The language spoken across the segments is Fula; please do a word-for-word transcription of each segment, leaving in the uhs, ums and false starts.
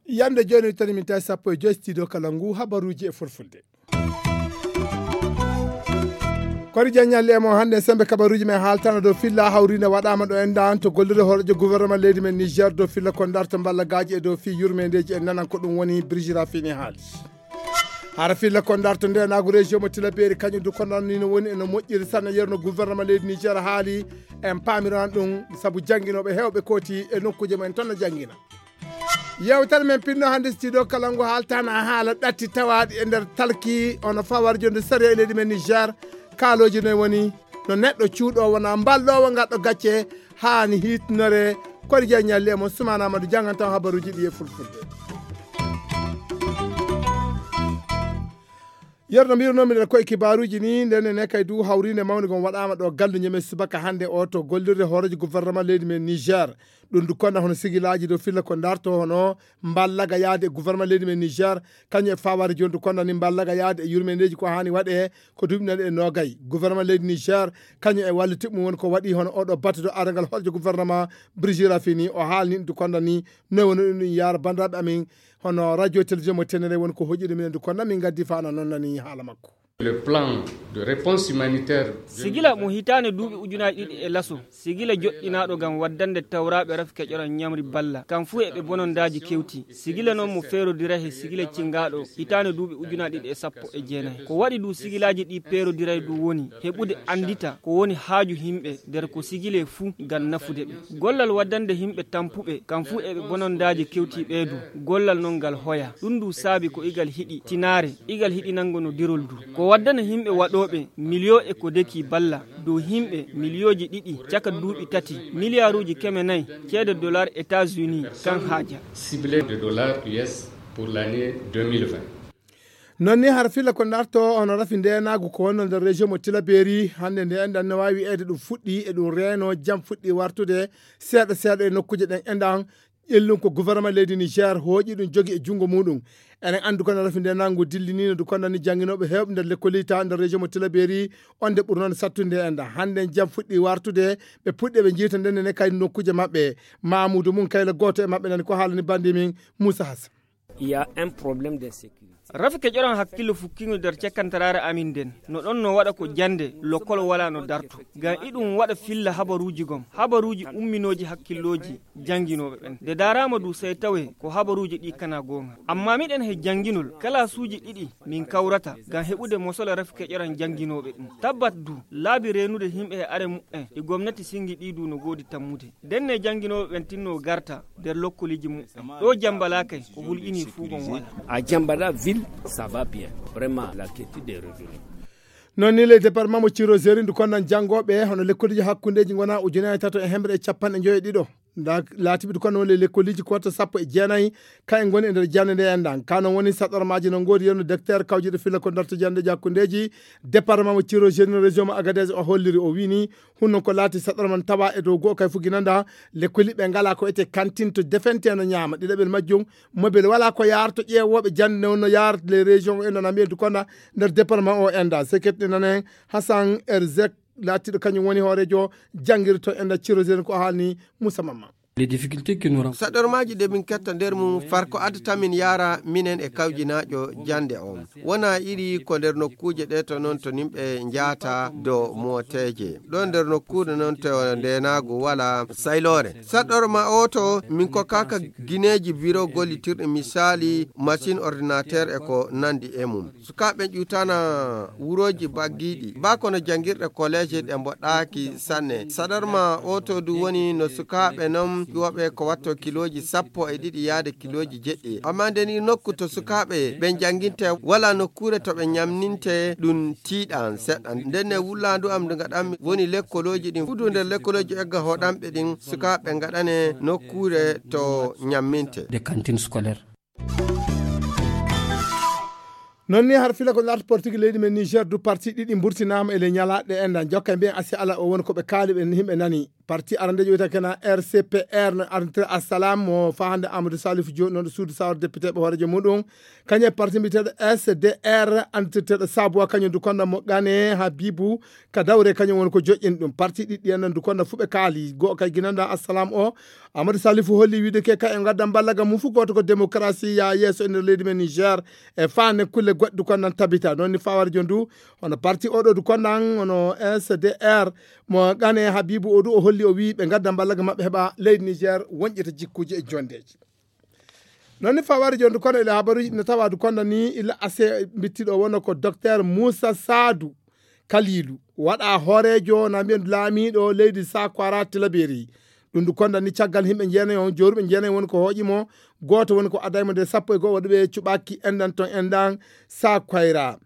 Yande jooni tani min tawi sappo e joy studio kala ngu habaruuji e fulfulde. Kori Diagne Alli e mo hannde sembe kabaruuji men haaltana dow filla hawrinde waɗaama ɗo en daan to gollirde hooreejo gouvernement leydi men Niger dow filla ko darto mballagaaji e dow fii yurmeendeeji en nanan ko ɗum woni Brigitte Raffini haali. Hara filla ko darto ndenaagu région mo Tilaberi kañum du ko noon ni no woni eno moƴƴiri sanne yerno gouvernement leydi Niger haali en paamiran ɗum sabu jannginooɓe heewɓe kooti e nokkuuje mumen toon no janngina. Yewtere men pinno hannde studio kala ngu haaltana haala ɗatti tawaaɗi e nder talki ono fawar jonde sariya e leydi men Niger. Kaalooji noy woni no neɗɗo cuuɗo wona mbalɗowo ngarɗo gacce haani hiitnore. Kori Diagne Alli e mo Soumana Amadou janngantaw habaruuji ɗi e fulfulde. Yerno mbirnomi ɗen koye kibaaruuji ni nden ne kay du hawrinde mawni gon waɗaama ɗo gallu ñeme subaka hannde o to gollirde hooreejo gouvernement leydi men Niger. Ɗum du konda hono sigilaaji dow filla ko darto hono mballaga yaade e gouvernement leydi men Niger. Kañum e fawaade jooni du konda ni mballaga yaade e yurmendeeji ko haani waɗe ko duuɓi nani e noogay gouvernement leydi Niger. Kañum e walliti mum woni ko waɗi hono oɗo battuɗo arangal hooreejo gouvernement Brigitte Raffini o haalni ɗum du konda ni noy woni ɗum ɗum yaara banndiraaɓe amin. Hono radio télévision mo tenere woni ko hoƴude minen du konda min gaddi fana noon nani haala makko. Le plan de réponse humanitaire. Sigila mo hitaande duuɓi ujunaaji ɗiɗi e laso sigila joɗɗinaaɗo ngam waddande tawraaɓe rafi keƴoran ñamri balla kam fuu e ɓe bonondaaji kewti. Sigila noon mo feerodira he sigila cingaaɗo hitaande duuɓi ujunaaji ɗiɗi e sappo e jeenayi ko waɗi du sigilaaji ɗi peerodiray du woni heɓude anndita ko woni haaju himɓe nder ko sigile fuu ngam nafude ɓe. Gollal waddande himɓe tampuɓe kam fuu e ɓe bonondaaji kewti ɓee du gollal noon ngal hoya ɗum du saabi ko igal hiɗi tinaare igal hiɗinango no dirol du ko waddana himɓe waɗooɓe miliyo e ko deki balla dow himɓe miliyooji ɗiɗi caka duuɓi tati miliyaaruuji keme nayi ceede dollar États-Unis kan haaja. Ciblé de dollars U S pour l'année deux mille vingt. Noon ni har filla ko darto ono rafi ndenaagu ko wonno nder région mo Tilaberi hannde nde enɗan no waawi wiyeede ɗum fuɗɗi e ɗum reeno jam fuɗɗi wartude seeɗa seeɗa e nokkuuje ɗen enɗan ƴellum ko gouvernement leydi Niger hooƴi ɗum jogi e junngo muɗum. Eɗen anndi kono rafi ndenaagu dillinino du kondani jannginooɓe heewɓe nder lekkolita nder région mo Tilaberi on nde ɓurnoon sattude enɗan hannde jam fuɗɗi wartude ɓe puɗɗi ɓe jiita nden ne kay nokkuuje maɓɓe. Mamudu mum kayla gooto e maɓɓe nani ko haalani bandi min Moussa Hassan. Il y a un problème d'insécurité. Rafi keƴoran hakkillo fukkingo nder cekkantaraare amin nden no ɗon no waɗa ko jannde lokkol wala no darto ngam iɗum waɗa filla habaruuji gom habaruuji umminooji hakkillooji jannginooɓe ɓen nde daaraama du sey tawe ko habaruuji ɗi kana goonga amma miɗen he jannginol kalaasuuji ɗiɗi min kawrata ngam heɓude mosola rafi keƴoran jannginooɓe ɗum tabbat du laabi reenude yimɓe e are muɓɓen ɗi gomnati singi ɗi du no goodi tammude. Ndenne jannginooɓe ɓen tinno garta nder lokkoliiji muɓɓen ɗo jambalakay ko hulƴini fuu gon wala. A jambala ville, ça va bien. Vraiment la quiétude est revenue. Noon ni le département mo ciro zeri ndu konnan janngooɓe hono lekkoliji hakkundeji ngona ujunaaji tato e hemre e capanɗe njoyo e ɗiɗo nda laatiɓe du konno woni le lekkoliji ko watta sappo e jeenayi. Kayen ngoni e nder jannde nde enɗan kano woni saɗormaji no ngoodi yerno docteur kawjuɗo filla ko darto janndeji hakkundeji département mo ciro zeri no région mo agadez o holliri o wini. Hunno ko laati saɗorman tawa e dow goo kay fuginanda lekkoli ɓe ngala ko ete kantin to defente no ñaama ɗiɗaɓel majjum. Mobel wala ko yaarto ƴeewooɓe jannde on no yaar les régions en nana mbiyen du konda nder département o enda seketɗe nanen. Hassan erzek laatiɗo kañum woni hoorejo janngirto enda cirosen ko haalni. Moussa Mamma. Les difficultés que nous rencontrons. Saɗormaaji ɗe min ketta nder mum far ko addata min yaara minen e kawjinaajo jannde on wona iri ko nder nokkuuje ɗe to noon to nimɓe njaata do mooteeje ɗo nder nokkuure noon to ndeenaagu wala sayloore. Saɗorma o to min kokkaaka gineeji biro gollitirɗi misaali machine ordinateur e ko nandi e mum. Sukaaɓe ƴuutana wurooji baggiiɗi baa kono janngirɗe koleeje ɗe mboɗɗaaki sanne. Saɗorma o to du woni no sukaaɓe non ƴuwoɓe ko watto kilooji sappo e ɗiɗi yaade kilooji jeɗɗi. Amma nden i nokku to sukaaɓe ɓe njannginte wala nokkuure to ɓe ñamninte ɗum tiiɗan seɗɗa. Nden ne wullaandu am ndu ngaɗanmi woni lekkolooji ɗin fudu nder lekkolooji egga hoɗanɓe ɗin sukaaɓe ngaɗane nokkuure to ñamminte. Des cantines scolaires. Noon ni har fila ko larta portigi leydi men Niger du parti ɗiɗi mburtinaama e le ñalaaɗe enɗan jokka e mbiyen asi ala o woni ko ɓe kaali ɓe yimɓe nani. Parti arandejo wiyata kena R C P R no arditre Assalam mo fa hande Amadou Salif Diop non suudu sawar député ɓe hoorejo muɗum. Kañum e parti mbiyeteɗo S D R andirteɗo Sabuwa kañum du konda mo Gane Habibu ka dawre kañum woni ko joƴƴini ɗum. Parti ɗiɗɗi en du konda fu ɓe kaali. Go kay ginanda Assalam o Amadou Salifu holli wiide ke kay e gadda ballaga mum fu goto ko démocratie ya yeeso e nder leydi men Niger e fane kulle goɗɗe du kondan tabita. Non ni fawari jon du hono parti oɗo du kondan hono S D R mo Gane Habibu o du o holli o wi ɓe gadda ballaga maɓɓe heɓa leydi Niger wonƴita jikkuji e jondeji. Non ni fawari jon du kono ila habaruji no tawa du konda ni ila ase bittiɗo wonno ko docteur Moussa Sadou Kalilu waɗa hoorejo na mbiyen laamiɗo leydi Sakwara Tilaberi. Ɗum du konda ni caggal himɓe jeenayi on joruɓe jeenayi woni ko hooƴi mo. Gooto woni ko adaymo nde sappo e go'o waɗuɓe cuɓaki enɗan ton enɗan Sakwara.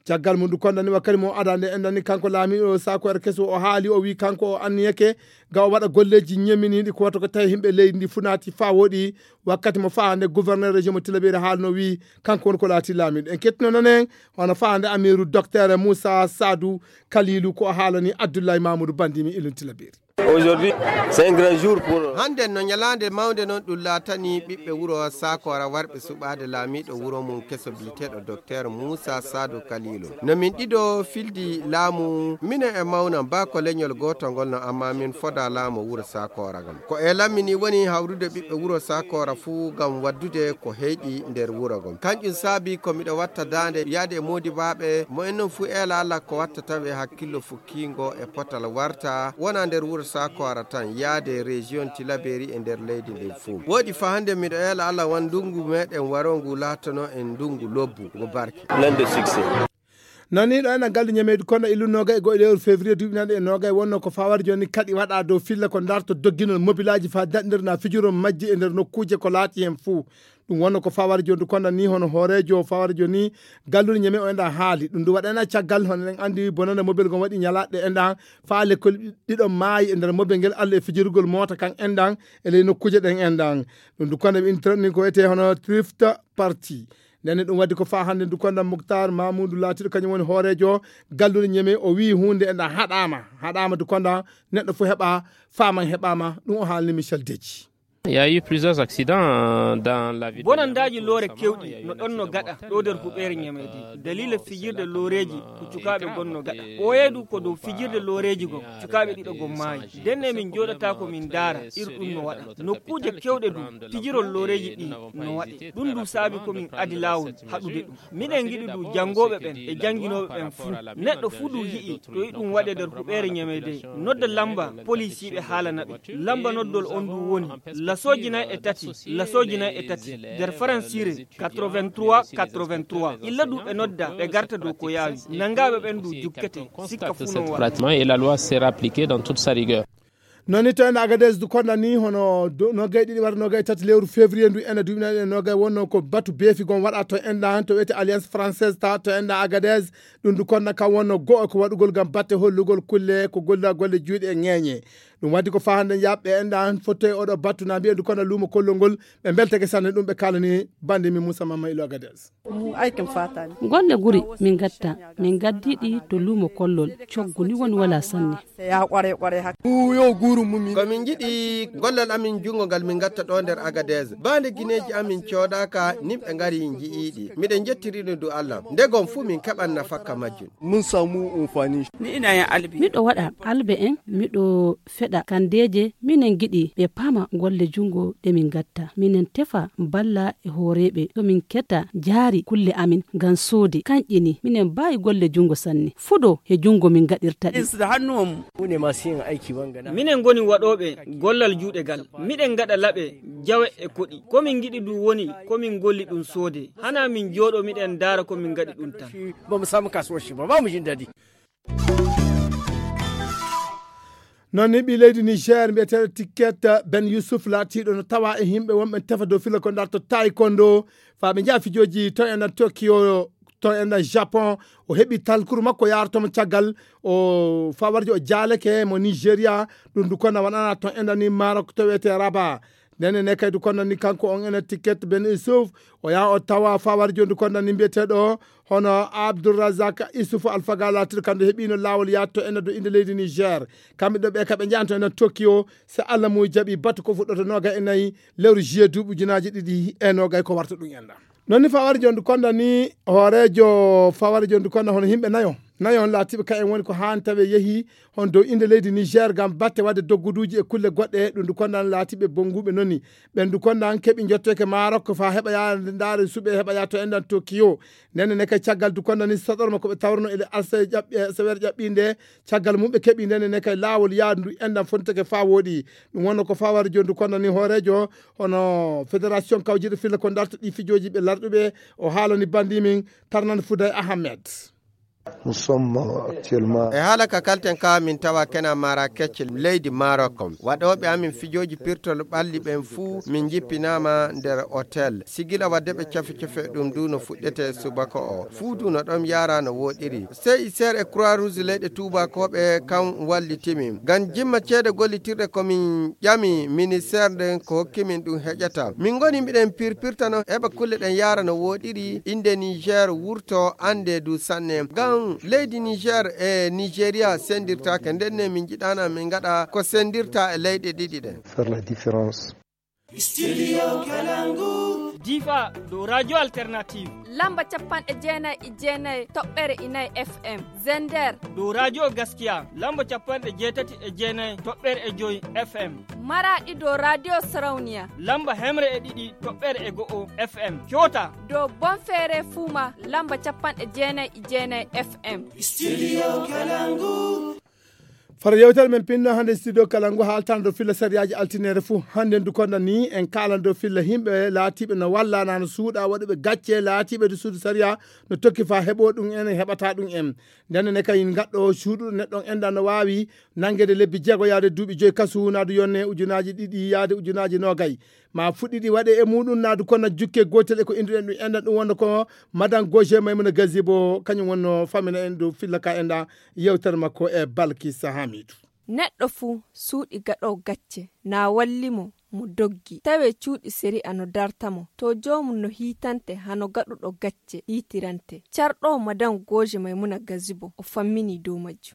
Caggal mum du konda ni wakkati mo ada nde enɗan ni kanko laamiɗo Sakwara keso o haali o wi kanko o anniyake ga o waɗa golleji ñeminiɗi ko wato ko tawi himɓe leydi ndi fu naati fa woɗi. Wakkati mo fa hande gouverneur région mo Tilaberi haalno wi kanko woni ko laati laamiɗo en kettino nonen hono fa hande amiru docteur Moussa Sadou Kalilu ko o haalani Abdoulaye Mamoudou Bandimi ilun Tilaberi. Aujourd'hui, c'est un grand jour pour hande no ñalande mawnde non ɗum laatani ɓiɓɓe wuro Sakora warɓe suɓaade laamiɗo wuro mum keso biyeteɗo docteur Moussa Sadou Kalilu. No min ɗiɗo fildi laamu minen e mawnan ba ko leñol gooto ngol no amma min foda laamu wuro Sakora ngam ko e lammini woni hawrude ɓiɓɓe wuro Sakora fuu ngam waddude ko heyɗi nder wuro ngol. Kanƴum saabi ko miɗo watta daande yaade e moodibaaɓe mo en non fuu eela Allah ko watta tawi e hakkillo fukkiingo e potal warta wona nder wuro Sakora tan yaade région Tilaberi e nder leydi ndin fuu. Woodi fa hande miɗo eela Allah wan ndungu meɗen warongu laatono en ndungu lobbu ngu barke. Plein de succès. Nani ɗo ena galdi ñameedu kono illu noga e goɗɗo lewru février duuɓi naɗe e noga e wonno ko fawari joni kaɗi waɗa dow filla ko darto dogginol mobilaji fa daɗndir na fijuro majji e nder nokkuuje ko laati hen fuu. Ɗum wonno ko fawari joni konda ni hono hoorejo fawari joni gallude ñame o enda haali ɗum du waɗana caggal hono en andi bonande mobil gon waɗi ñalaɗe endan fa lekkol ɗiɗo maayi e nder mobil ngel alla e fijirgol mota kan endan e ley nokkuuje ɗen endan. Ɗum du konda ɓe internet ni ko wiyete hono thrift party. Nden ɗum waddi ko fa hannde ndu konda Muktar Mamoudou laatiɗo kañum woni hoorejo gallude ñeme o wi hunde enɗa haɗama haɗama du konda neɗɗo fu heɓa faman heɓama ɗum o haalni Michel Deji. Il y a eu plusieurs accidents dans la ville. Bonandaaji loore kewɗi no ɗon no gaɗa ɗo nder huɓeere ñameede dalila fijirde looreeji ko cukaaɓe gon no gaɗa ɓooyee du ko dow fijirde looreeji gon cukaaɓe ɗiɗo gon maayi. Ndenne min njooɗata ko min ndaara ir ɗum no waɗa nokkuuje kewɗe du pijirol looreeji ɗi no waɗe ɗum du saabi ko min adi laawol haɗude ɗum. Miɗen ngiɗi du janngooɓe ɓen e jannginooɓe ɓen fuu. Neɗɗo fuu du yi'i to iɗum waɗe nder huɓeere ñameede nodda lamba polisiiɓe haalana ɓe. Lamba noddol on du woni lasooji nay e tati lasooji nay e tati nder faransiire quatre-vingt-trois quatre-vingt-trois. Illa du ɓe nodda ɓe garta dow ko yaawi nanngaaɓe ɓen du jukkete sikka fuu non waɗa. Et la loi sera appliquée dans toute sa rigueur. Noon ni to ene Agadez du konda ni hono nogay ɗiɗi wara nogay tati lewru février ndu ene duɓina ɗen nogay wonno ko batu beefi gon waɗa to enɗa han to wiyete Alliance Française ta to enɗa Agadez. Ɗum du konda kam wonno go'o ko waɗugol ngam batte hollugol kulle ko golla golle juuɗe e ŋeeñe. Ɗum waddi ko fa hannde yaɓɓe enɗa han fottoye oɗo battu na mbiye du konda luumo kollol ngol ɓe mbeltake sanne ɗum ɓe kalani bande min Moussa Mamma ilo Agadez. Golle guri min gatta min gaddiɗi to luumo kollol coggu ni woni wala sanne. Ko min njiɗi gollal amin junngo ngal min ngatta ɗo nder Agadez ba nde gineeji amin coodaaka nimɓe ngari nji'iiɗi miɗen njettiri ɗum du Allah nde gom fuu min keɓan nafakka majjum. Miɗo waɗa albe en miɗo feɗa kandeeje minen ngiɗi ɓe paama golle junngo ɗe min ngatta minen tefa balla e hooreeɓe to min keta jaari kulle amin ngam soode kanƴe ni minen mbaawi golle junngo sanne fuɗo he junngo min ngaɗirta ɗi. Minen ngoni waɗooɓe gollal juuɗe gal miɗen ngaɗa laɓe jawe e koɗi ko min ngiɗi du woni ko min ngolli ɗum soode hana min jooɗo miɗen ndaara ko min ngaɗi ɗum tan. Noon ni ɓii leydi Niger mbiyeteeɗo Ticket Ben Youssouf laatiiɗo no tawa e yimɓe wonɓe tefa dow fila ko ndarto taekwondo faa ɓe njaha fijooji to enɗan Tokyo to enɗan Japon o heɓi talkuru makko yaartomo caggal o fawarjo o jaaleke mo Nigeria. Ɗum du kona waɗana to enɗan ni Maroc to wiyetee Rabat. Ndenne ne kay du kondani kanko on ena ticket ben isuf o yaha o tawa fawar jondu kondani mbiyeteɗo hono abdourazak isuf alfaga latiɗo kamɓe heɓino lawol yatto ena do inde leydi niger. Kamɓe ɗo ɓe kaɓe jahanto ena tokyo, so allah muy jaɓi batu ko fuɗɗoto noga e nayi lewru juillet duuɓi ujunaji ɗiɗi e nogay ko warta ɗum enɗam. Non ni fawar jondu kondani hoorejo fawar jondu konda hono yimɓe nayo nayo on laatiɓe ka en woni ko haan tawe yehi hon dow inde leydi niger ngam batte wadde dogguduuji e kulle goɗɗe ɗum ndu kondan laatiɓe bonnguɓe noni. Ɓen ndu kondan keɓi jotteke marok fa heɓa yaade ndaare suɓe heɓa yaa to endan tokyo. Ndenne ne kay caggal du kondani saɗorma ko ɓe tawrno ele alsa ƴaɓɓi sewere ƴaɓɓi nde caggal mum ɓe keɓi ndenne ne kay laawol yaadu ndu endan fonteke fa wooɗi. Ɗum wonno ko fawar jondu kondani hoorejo hono fédération kawjiɗo filla ko darta ɗi fijooji ɓe larɗuɓe. O haalani bandi min tarnan fuday ahmed. E haala ka kalten ka min tawa kena marakech leydi marok on waɗoɓe amin fijooji pirtol ɓalli ɓen fuu min jippinama nder hotel sigila wadde ɓe cafe cafe ɗum du no fuɗɗete subaka o fuu du no ɗon yara no woɗiri. Sey ser e croix rouge leyɗe tubakoɓe kan wallitimin ngam jimma ceede gollitirɗe komin ƴami ministère nden ko hokkimin ɗum heƴata min ngoni miɗen pirpirtano heɓa kulle ɗen yara no woɗiri inde niger wurto ande du sanne ngam leydi niger e nigeria sendirtake ndenne min jiɗana min gaɗa ko sendirta e leyɗe ɗiɗi ɗen. Faire la différence. Studio Kalangu. Difa dow radio alternative. Lamba capanɗe jeenayi e jeenayi toɓɓere inayi F M. Zender. Dow radio gaskiya lamba capanɗe jeetati e jeenayi toɓɓere e joyi F M. Maraɗi dow radio sarauniya. Lamba hemre e ɗiɗi toɓɓere e go'o F M. Coota. Dow bonfere fuma lamba capanɗe jeenayi e jeenayi F M. Studio Kalangu. Fara yewtere men pinno hannde studio kala ngu haaltana dow filla sariyaji altinere fuu hannde ndu konda ni en kaalan dow filla himɓe laatiɓe no walla na no suuɗa waɗuɓe gacce laatiɓe du suudu sariya no tokki fa heɓo ɗum en heɓata ɗum en. Ndenne ne kay gaɗɗo suuɗuɗo neɗɗo on enɗa no waawi nanngede lebbi jeego yaade duuɓi joyi kasu naadu yonne ujunaji ɗiɗi yaade ujunaji nogay ma fuɗɗiɗi waɗe e muɗum naadu konna jukke gotel e ko innduɗen ɗum enɗan ɗum wonno ko madan goje maymuna gazibo kañum wonno famina en dow filla ka enɗa. Yewtere makko e balkisa hamidu. Neɗɗo fuu suuɗi gaɗo gacce na walli mo mo doggi tawe cuuɗi sari'a no darta mo to joomum no hiitante hano gaɗuɗo gacce hiitirante. Carɗo madan goje maymuna gazibo o fammini dow majjum.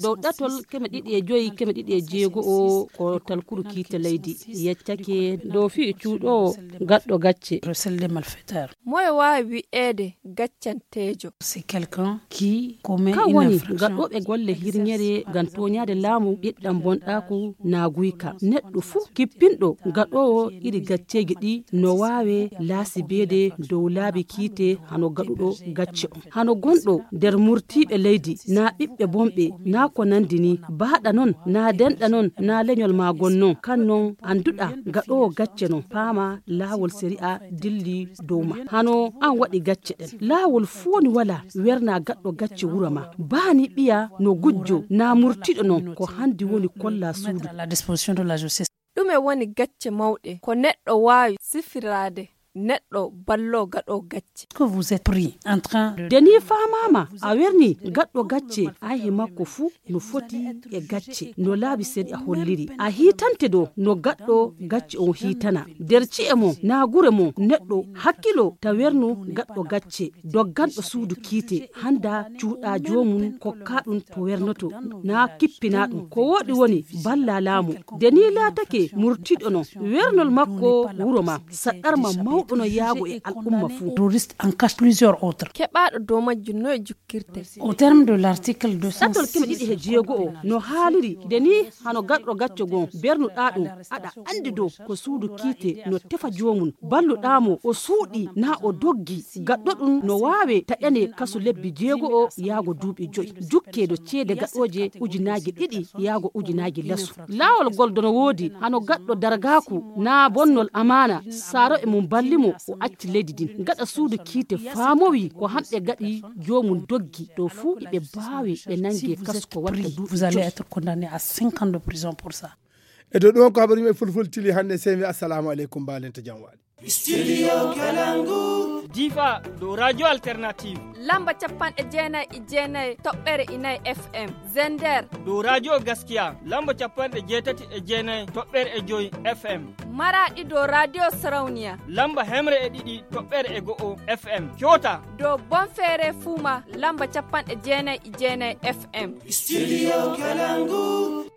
Dow ɗatol keme ɗiɗi e joyi keme ɗiɗi e jeego o ko talkuru kiite leydi yeccake dow fii cuuɗoowo gaɗɗo gacce. Moye waawi wi'eede gaccanteejo? Kan woni gaɗɗooɓe golle hirñere ngam tooñaade laamu ɓiɗɗam bonɗaaku naaguyka neɗɗo fuu kippinɗo gaɗoowo iri gacceeji ɗi no waawe laasibeede dow laabi kiite hano gaɗuɗo gacce on hano gonɗo nder murtiiɓe leydi naa ɓiɓɓe bonɓe naa ko nanndi ni baaɗa non naa denɗa non naa leñol maa gon non kan non annduɗaa gaɗoowo gacce non paama laawol sari'a dilli dow ma hano an waɗi gacce ɗen laawol fooni walaa wernaa gaɗɗo gacce wuro ma baani ɓiya no gujjo naa murtiiɗo non ko hanndi woni kollaa suudu. Ɗume woni gacce mawɗe ko neɗɗo waawi sifiraade neɗɗo balloo gaɗo gacce? Nde nii faamaama a wernii gaɗɗo gacce ayhe makko fuu no foti e gacce no laabi sari'a holliri a hiitante dow no gaɗɗo gacce on hiitana nder ci'e mon naa gure mon neɗɗo hakkiloo ta wernu gaɗɗo gacce dogganɗo suudu kiite hannda cuuɗa joomum kokkaa ɗum to wernotoo naa kippinaa ɗum ko wooɗi woni ballaa laamu nde nii laatake murtiiɗo non wernol makko wuro ma saɗɗarma mawɗo no yaago e al'umma fuu. Keɓaaɗo dow majjum no e jukkirte? Au terme de l'article deux cent six ɗatol keme ɗiɗi he jeego o no haaliri nde nii hano gaɗɗo gacce gon bernuɗaa ɗum aɗa anndi dow ko suudu kiite no tefa joomum balluɗaa mo o suuɗi naa o doggi gaɗɗo ɗum no waawe taƴane kasu lebbi jeego o yaago duuɓi joyi jukkee dow ceede gaɗooje ujunaaji ɗiɗi yaago ujunaaji lasu laawol gol dono woodi hano gaɗɗo dargaaku naa bonnol amaana saaro e mum balli mo o acci leydi ndin gaɗa suudu kiite faamowi ko hamɓe gaɗi joomum doggi ɗo fuu iɓe baawi ɓe nannge kasko watta duuɓi joyi. E dow ɗum on ko habaru yimɓe fulfultili hannde sey mi assalamu aleykum mbaalen to jam waali. Studio Kalangu. Difa, dow Radio Alternative. Lamba capanɗe jeenayi e jeenayi toɓɓere inayi F M. Zender. Dow Radio Gaskiya, lamba capanɗe jeetati e jeenayi toɓɓere e joyi F M. Maraɗi, dow Radio Sarauniya. Lamba hemre e ɗiɗi toɓɓere e go'o F M. Kyota. Dow Bonfere Fuma, lamba capanɗe jeenayi e jeenayi F M. Studio Kalangu.